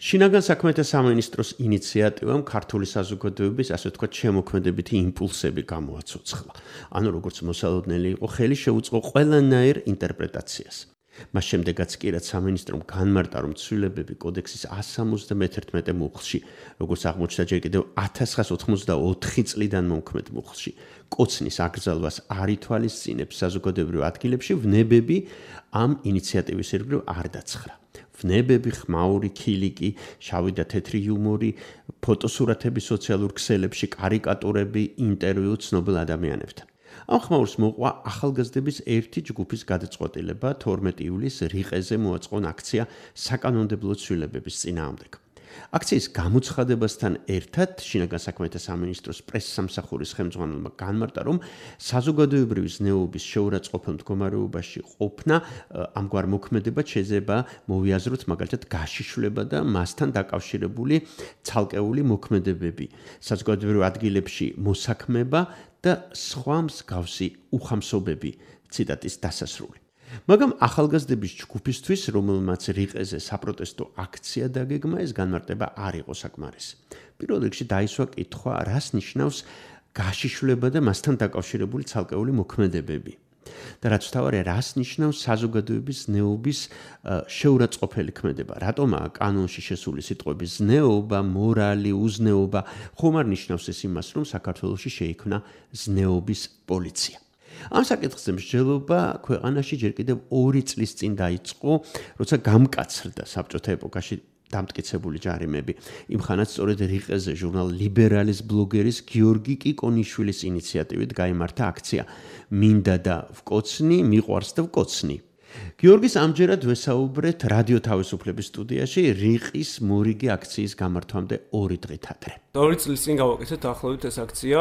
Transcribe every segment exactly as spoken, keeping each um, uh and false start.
შინაგან საქმეთა სამინისტროს ინიციატივამ ქართული საზოგადოების, ასე ვთქვათ, შემოქმედებითი იმპულსები გამოაცოცხლა. ანუ როგორც მოსალოდნელი იყო, ხელი შეუწყო ყველანაირ ინტერპრეტაციას. მას შემდეგაც კი რაც სამინისტრომ განმარტა, რომ ცვლილებები კოდექსის εκατს სამოცდამეერთმეტე მუხლში, როგორც აღმოჩნდა ჯერ კიდევ ათას ცხრაას ოცდაოთხი წლიდან მომქმედ მუხლში, კოცნის აკრძალვას არ ითვალისწინებს საზოგადოებრივ ადგილებში, ვნებები ამ ინიციატივის ირგვლივ არ დაცხრა. ვნებები, ხმაური ქილიკი, შავი და თეთრი იუმორი, ფოტოსურათები სოციალურ ქსელებში, კარიკატურები, ინტერვიუ ცნობილ ადამიანებთან. ამ ხმაურს მოყვა ახალგაზრდების ერთი ჯგუფის გადაწყვეტილება თორმეტი ივლისს რიყეზე მოაწყონ აქცია საკანონმდებლო ცვლილებების წინააღმდეგ. აქციის გამოცხადებასთან ერთად შინაგან საქმეთა სამინისტროს პრესსამსახურის ხელმძღვანელმა განმარტა, რომ საზოგადოებრივი ზნეობის შეურაცხყოფელ მდგომარეობაში ყოფნა ამგვარ მოქმედებად შეიძლება მოვიაზროთ მაგალითად გაშიშვლება და მასთან დაკავშირებული ცალკეული მოქმედებები, საზოგადოებრივ ადგილებში მოსაქმება და სხვა მსგავსი უხამსობები. ციტატის დასასრული. მაგრამ ახალგაზრდების ჯგუფისთვის, რომელმაც რიყეზე საპროტესტო აქცია დაგეგმა, ეს განმარტება არ იყო საკმარისი. პირველ რიგში დაისვა კითხვა, რას ნიშნავს გაშიშვლება და მასთან დაკავშირებული ცალკეული მოქმედებები. და რაც თავარია, რას ნიშნავს საზოგადოების ზნეობის შეურაცხყოფელი ქმედება. რატომაა კანონში შესული სიტყვები ზნეობა, მორალი, უზნეობა, ხომ არ ნიშნავს ეს იმას, რომ საქართველოში შეიქმნა ზნეობის პოლიცია. ამ საკითხზე მსჯელობა ქვეყანაში ჯერ კიდევ ორი წლის წინ დაიწყო, როცა გამკაცრდა საბჭოთა ეპოქაში დამტკიცებული ჯარიმები. იმხანაც სწორედ რიყეზე ჟურნალ ლიბერალის ბლოგერის გიორგი კიკონიშვილის ინიციატივით გაიმართა აქცია მინდა და ვკოცნი, მიყვარს და ვკოცნი. გიორგის ამჯერად ვესაუბრეთ რადიო თავისუფლების სტუდიაში რიყის მორიგი აქციის გამართვამდე ორი დღით ადრე. ორი წლის წინ გავაკეთეთ ახლობით ეს აქცია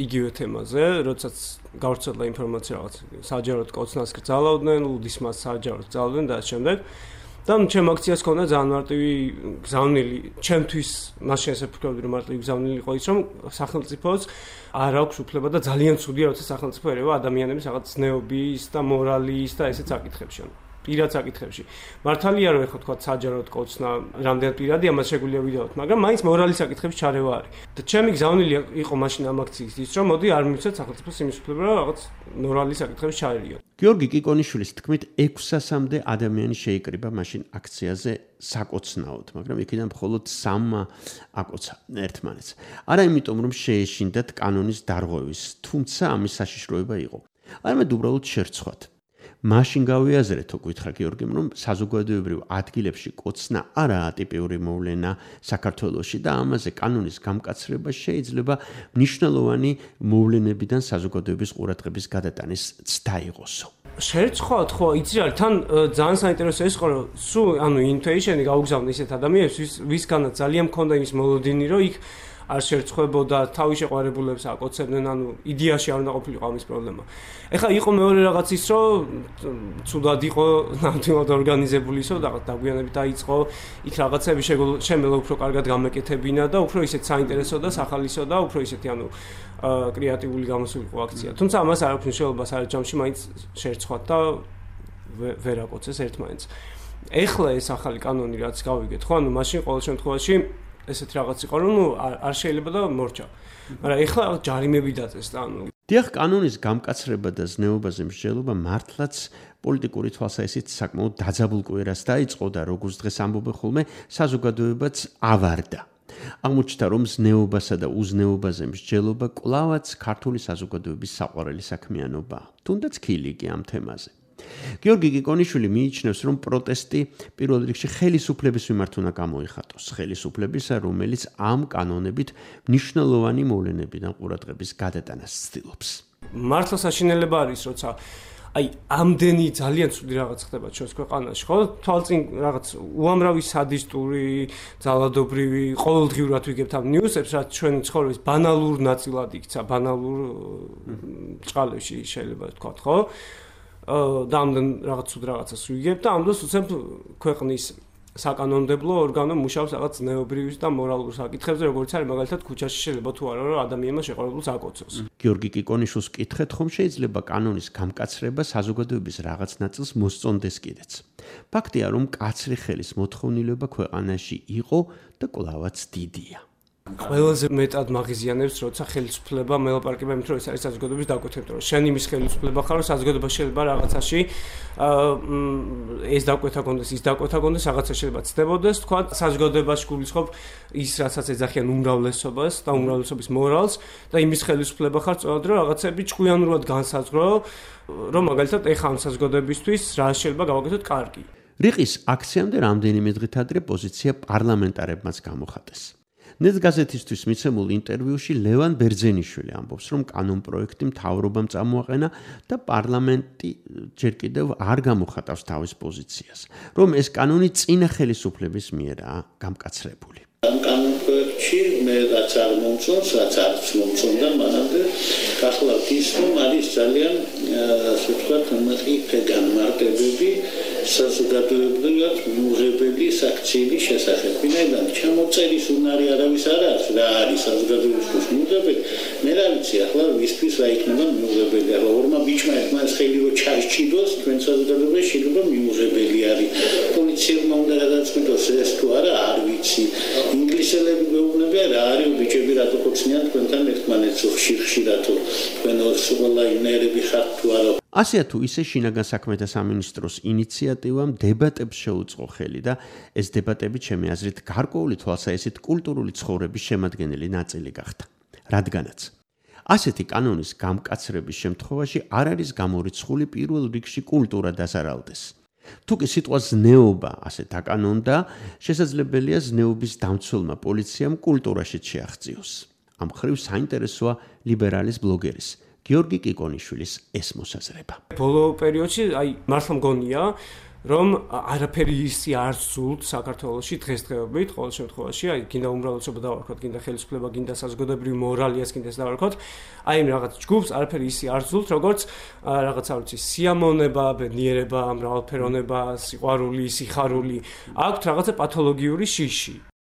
იგივე თემაზე, როდესაც გავრცელდა ინფორმაცია რაღაც საჯაროდ კოცნას გრძალავდნენ, ლუდისმას საჯაროდ გრძალავდნენ და ამ შემდეგ. და ჩემ აქციას ქონდა ძალიან მარტივი გზავნილი, ჩემთვის მაშინ ესე ვფიქრობდი, რომ მარტივი გზავნილი იყო ის, რომ სახელმწიფოს არ აქვს უფლება და ძალიან ცუდია, როცა სახელმწიფო ერევა ადამიანების რაღაც ზნეობის და მორალის და ესეც საკითხებში. პირად საკითხებში. მართალია რომ ეხლა თქვა საჯაროდ კოცნა, რამდენად პირადი ამას შეგვიძლია ვიდეოთ, მაგრამ მაინც მორალის საკითხებში ჩარევა არის. და ჩემი გზავნილი იყო მაშინ ამ აქციის ის, რომ მოდი არ მივცეთ სახელმწიფოს იმის უფლება, რომ რაღაც მორალის საკითხებში ჩაერიოთ. გიორგი კიკონიშვილის თქმით, ექვსასამდე ადამიანი შეიკრიბა მაშინ აქციაზე საკოცნაოდ, მაგრამ იქიდან მხოლოდ სამმა აკოცა ერთმანეთს. არა იმიტომ, რომ შეეშინდათ კანონის დარღვევის, თუმცა ამის საშიშროება იყო. არამედ უბრალოდ შერცხვათ. მაშინ გავიაზრეთო, გითხრა გიორგიმ, რომ საზოგადოებრივ ადგილებში კოცნა არაა ტიპიური მოვლენა საქართველოში და ამაზე კანონის გამკაცრება შეიძლება მნიშვნელოვანი მოვლენებიდან საზოგადოების ყურადღების გადატანის ცდა იყოსო. შერცხვათ, ხო, იცი რა, თან ძალიან საინტერესო ეს იყო, რომ სულ ანუ ინტუიშენი გაუგზავნე ისეთ ადამიანებს, ვისგანაც ძალიან მქონდა იმის მოლოდინი, რომ იქ არ შერცხვებოდა, თავის შეყვარებულებს აკოცებდნენ, ანუ იდეაში არ უნდა ყოფილიყო ამის პრობლემა. ეხლა იყო მეორე რაღაც ის, რომ ცუდად იყო ნამდვილად ორგანიზებული ისო, რაღაც დაგვიანებით დაიწყო, იქ რაღაცები შემელა უფრო კარგად გამეკეთებინა და უფრო ისეთ საინტერესო და სახალისო და უფრო ისეთი ანუ კრეატიული გამოსულიყო აქცია. თუმცა ამას არ აქვს მნიშვნელობა სარეჯამში, მაინც შერცხვათ და ვერ აკოცეს ერთმანეთს. ეხლა ეს ახალი კანონი რაც გავიგეთ, ხო, ანუ მაშინ ყოველ შემთხვევაში ესეთი რაღაც იყო, რომ ნუ არ შეიძლება და მორჩა. მაგრამ ეხლა ჯარიმები დაწეს და ანუ დიახ, კანონის გამკაცრება და ზნეობაზე მსჯელობა მართლაც პოლიტიკური თვალსაზრისით საკმაოდ დაძაბულ კვირას დაიწყო და როგორც დღეს ამბობენ ხოლმე, საზოგადოებაც ავარდა. აღმოჩნდა, რომ ზნეობასა და უზნეობაზე მსჯელობა კვლავაც ქართული საზოგადოების საყვარელი საქმიანობაა, თუნდაც ქილიკი ამ თემაზე. გიორგი კიკონიშვილი მიიჩნევს, რომ პროტესტი პირველ რიგში ხელისუფლების მიმართ უნდა გამოიხატოს, ხელისუფლებისა, რომელიც ამ კანონებით მნიშვნელოვანი მოვლენებიდან ყურადღების გადატანას ცდილობს. მართლა საშინელება არის, როცა აი ამდენი ძალიან ცუდი რაღაც ხდება ჩვენს ქვეყანაში, ხო? თვალწინ რაღაც უამრავი სადისტური, ძალადობრივი, ყოველდღიურად ვიგებთ ამ ნიუსებს, რაც ჩვენი ცხოვრების ბანალურ ნაწილად იქცა, ბანალურ წყალებში შეიძლება ვთქვათ, ხო? და ამდენ რაღაც ცუდ რაღაცას ვიგებ და ამ დროს უცებ ქვეყნის საკანონმდებლო ორგანო მუშაობს რაღაც ზნეობრივ და მორალურ საკითხებზე, როგორც არის მაგალითად ქუჩაში შეიძლება თუ არა რომ ადამიანმა შეყვარებულს აკოცოს. გიორგი კიკონიშვილს კითხეთ, ხომ შეიძლება კანონის გამკაცრება საზოგადოების რაღაც ნაწილს მოსწონდეს კიდეც. ფაქტია, რომ კაცრი ხელის მოთხოვნილება ქვეყანაში იყო და კვლავაც დიდია. ყველაზე მეტად მაგიზიანებს, როცა ხელისუფლება მელაპარაკება იმით, რომ ეს არის საზოგადოების დაკვეთება, რომ შენ იმის ხელისუფლება ხარ, რომ საზოგადოება შეიძლება რაღაცაში ეს დაკვეთა კონდეს, ის დაკვეთა კონდეს, რაღაცა შეიძლება ცდებოდეს, თქვა, საზოგადოებაში გულისხმობ ის, რასაც ეძახიან უმრავლესობას და უმრავლესობის მორალს და იმის ხელისუფლება ხარ, სწორად რომ რაღაცები ჭკვიანურად განსაზღვრო, რომ მაგალითად ეხა ამ საზოგადოებისთვის რა შეიძლება გავაკეთოთ კარგი. რიყის აქციამდე რამდენიმე დღით ადრე პოზიცია პარლამენტარებმაც გამოხატეს. ნეტ გაზეთისთვის მიცემულ ინტერვიუში ლევან ბერძენიშვილი ამბობს, რომ კანონპროექტი მთავრობამ წამოაყენა და პარლამენტი ჯერ კიდევ არ გამოხატავს თავის პოზიციას, რომ ეს კანონი წინა ხელისუფლების მიერაა გამკაცრებული. ამ კანონპროექტში მე რაც არ მომწონს, რაც არც მომწონდა მანამდე, გახლავთ ის, რომ არის ძალიან ასე ვთქვათ, მყიფე განმარტებები საზოგადოებრივად მიუღებელი საქციელის შესახებ. ვინაიდან ჩამოწერის უნარი არავის არ აქვს, რა არის საზოგადოებისთვის მიუღებელი, მე რა ვიცი, ახლა ვისთვის რა იქნება მიუღებელი. ახლა ორმა ბიჭმა ერთმანეთს ხელი რო ჩარჩიდოს, თქვენ საზოგადოებაში შეიძლება მიუღებელი არის. პოლიციელმა უნდა გადაწყვიტოს ეს თუ არა, არ ვიცი. ინგლისელები გვეუბნებიან რა არის ბიჭები რატო ხოცნიან თქვენთან ერთმანეთს ხშირ-ხშირათო თქვენ სულაინერები ხართ თუ არა. ასეა თუ ისე შინაგან საქმეთა სამინისტროს ინიციატივამ დებატებს შეუწყო ხელი და ეს დებატები ჩემი აზრით გარკვეული თვალსაჩინო კულტურული ცხოვრების შემადგენელი ნაწილი გახდა. რადგანაც ასეთი კანონის გამკაცრების შემთხვევაში არ არის გამორიცხული პირველ რიგში კულტურა დაზარალდეს. თუკი სიტყვა ზნეობა ასე დაკანონდა, შესაძლებელია ზნეობის დამცველმა პოლიციამ კულტურაში შეაღწიოს. ამ ხრივ საინტერესოა ლიბერალის ბლოგერის გიორგი კიკონიშვილის ეს მოსაზრება. ბოლო პერიოდში აი მართლა მგონია, რომ არაფერი ისი არ ზულთ საქართველოში დღესდღეობით, ყოველ შემთხვევაში, აი გინდა უმრავლესობა დავარქვათ, გინდა ხელისუფლება, გინდა საზოგადოებრივი მორალიას გინდა დავარქვათ, აი იმ რაღაც ჯგუფს არაფერი ისი არ ზულთ, როგორც რაღაც არ ვიცი, სიამოვნება, ბედნიერება, მრავალფეროვნება, სიყვარული, სიხარული, აქვთ რაღაცა პათოლოგიური შიში.